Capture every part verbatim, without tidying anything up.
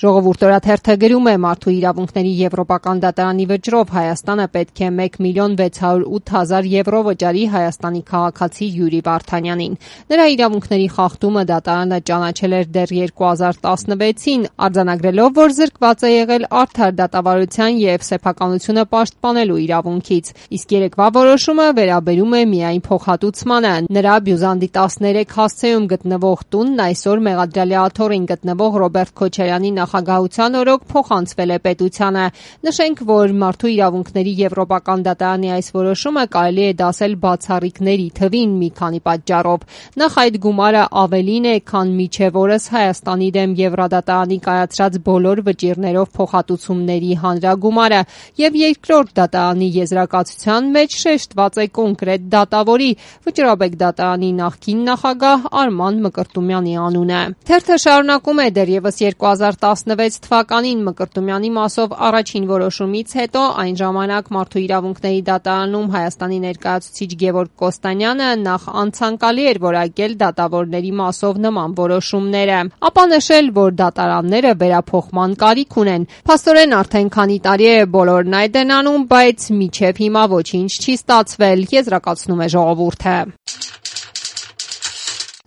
Ժողովուրդ օրաթերթը գրում է Մարդու իրավունքների եվրոպական դատարանի վճռով Հայաստանը պետք է մեկ միլիոն վեց հարյուր ութ հազար եվրո վճարի Հայաստանի քաղաքացի Յուրի Վարդանյանին։ Նրա իրավունքների խախտումը դատարանը ճանաչել էր դեռ երկու հազար տասնվեցին, արձանագրելով, որ զրկված է եղել արդար դատավարության և սեփականությունը պաշտպանելու իրավունքից։ Իսկ երեկվա որոշումը վերաբերում է միայն փոխհատուցմանը։ Նրա Բյուզանդի տասներեք հասցեում գտնվող տունն այսօր Մեղադրյալի աթոռին գտնվող Ռոբերտ Քոչարյանի նախագահության օրոք փոխանցվել է պետությանը։ Նշենք, որ Մարդու իրավունքների եվրոպական դատարանի այս որոշումը կարելի է դասել բացառիկների թվին մի քանի պատճառով։ Նախ այդ գումարը ավելին է, քան մինչև օրս Հայաստանի դեմ Եվրադատարանի կայացրած բոլոր վճիռներով փոխհատուցումների հանրագումարը, եւ երկրորդ դատարանի եզրակացության մեջ շեշտված է կոնկրետ դատավորի՝ Վճռաբեկ դատարանի նախկին նախագահ Արման Մկրտումյանի անունը։ Թերթը շարունակում է դեռևս երկու հազար տասնվեց թվականին Մկրտումյանի մասով առաջին որոշումից հետո այն ժամանակ Մարդու իրավունքների դատարանում Հայաստանի ներկայացուցիչ Գևորգ Կոստանյանը նախ անցանկալի էր որակել դատավորների մասով նման որոշումները, ապա նշել, որ դատարանները վերափոխման կարիք ունեն։ Փաստորեն արդեն քանի տարի է բոլորն այդ են անում, բայց մինչև հիմա ոչինչ չի ստացվել, եզրակացնում է Ժողովուրդը։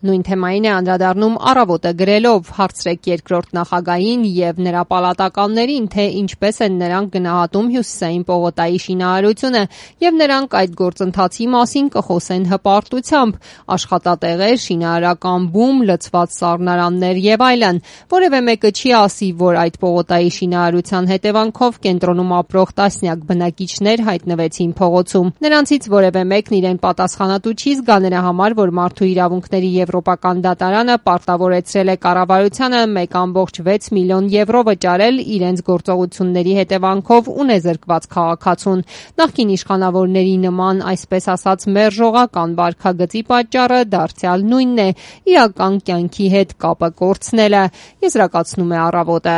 Նույն թեմային է անդրադառնում Առավոտը գրելով. հարցրեք երկրորդ նախագահին եւ նրա պալատականներին, թե ինչպես են նրանք գնահատում Հյուսիսային պողոտայի շինարարությունը եւ նրանք այդ գործընթացի մասին կխոսեն հպարտությամբ, աշխատատեղեր, շինարարական բում, լցված սառնարաններ եւ այլն։ Որևէ մեկը չի ասի, որ այդ պողոտայի շինարարության հետևանքով կենտրոնում ապրող տասնյակ բնակիչներ հայտնվեցին փողոցում։ Նրանցից որևէ մեկն իրեն պատասխանատու չի զգա նրա համար, որ Մարդու իրավունքների Եվրոպական դատարանը պարտավորեցրել է կառավարությանը մեկ կόμկոմ վեց միլիոն եվրո վճարել իրենց գործողությունների հետևանքով ունեզրկված քաղաքացուն։ Նախկին իշխանավորների նման, այսպես ասած, մերժողական վարքագծի պատճառը դարձյալ նույնն է՝ իրական կյանքի հետ կապը կորցնելը, եզրակացնում է Առավոտը։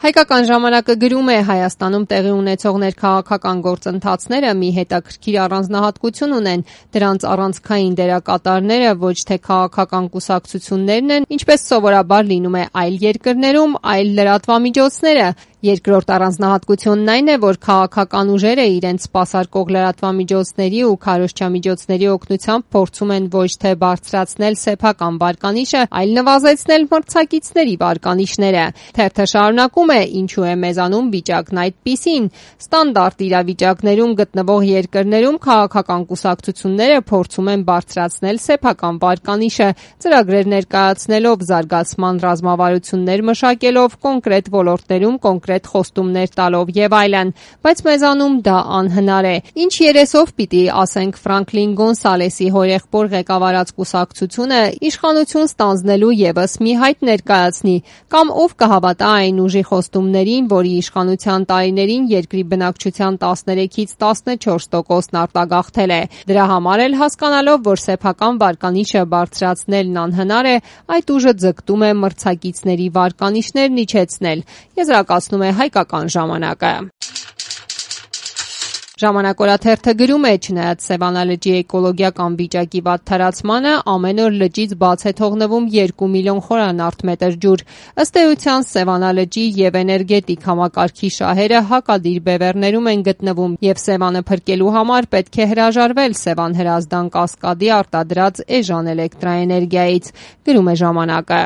Հայկական ժամանակը գրում է. Հայաստանում տեղի ունեցող ներքաղաքական գործընթացները մի հետաքրքիր առանձնահատկություն ունեն։ Դրանց առանցքային դերակատարները ոչ թե քաղաքական կուսակցություններն են, ինչպես սովորաբար լինում է այլ երկրներում, այլ լրատվամիջոցները։ Երկրորդ առանձնահատկությունն այն է, որ քաղաքական ուժերը իրենց սպասարկող լրատվամիջոցների ու քարոզչամիջոցների օգնությամբ փորձում են ոչ թե բարձրացնել սեփական վարկանիշը, այլ նվազեցնել մրցակիցների վարկանիշները։ Թերթը շարունակում է. ինչու է մեզանում վիճակն այդպիսին։ Ստանդարտ իրավիճակներում գտնվող երկրներում քաղաքական կուսակցությունները փորձում են բարձրացնել սեփական վարկանիշը, ծրագրեր ներկայացնելով, զարգացման ռազմավարություններ մշակելով, կոնկրետ ոլորտներում կոնկրետ խոստումներ տալով եւ այլն, բայց մեզանում դա անհնար է։ Ինչ երեսով պիտի ասենք Ֆրանկլին Գոնսալեսի հորեղբոր ղեկավարած կուսակցությունը իշխանություն ստանձնելու եւս մի հայտ ներկայացնի, կամ ով կհավատա այն ուժի խոստումներին, որի իշխանության տարիներին երկրի բնակչության տասներեքից տասնչորս տոկոսն արտագաղթել է։ Դրա համար էլ հասկանալով, որ սեփական վարկանիշը բարձրացնելն անհնար է, այդ ուժը ձգտում է մրցակիցների վարկանիշներն իջեցնել, եզրակացնում է Հայկական ժամանակը։ Ժամանակ օրաթերթը գրում է. չնայած Սևանա լճի էկոլոգիական վիճակի վատթարացմանը, ամեն օր լճից բաց է թողնվում երկու միլիոն խորանարդ մետր ջուր։ Ըստ էության Սևանա լճի եւ էներգետիկ համակարգի շահերը հակադիր բևեռներում են գտնվում եւ Սևանը փրկելու համար պետք է հրաժարվել Սևան-Հրազդան կասկադի արտադրած էժան էլեկտրաէներգիայից, գրում է Ժամանակը։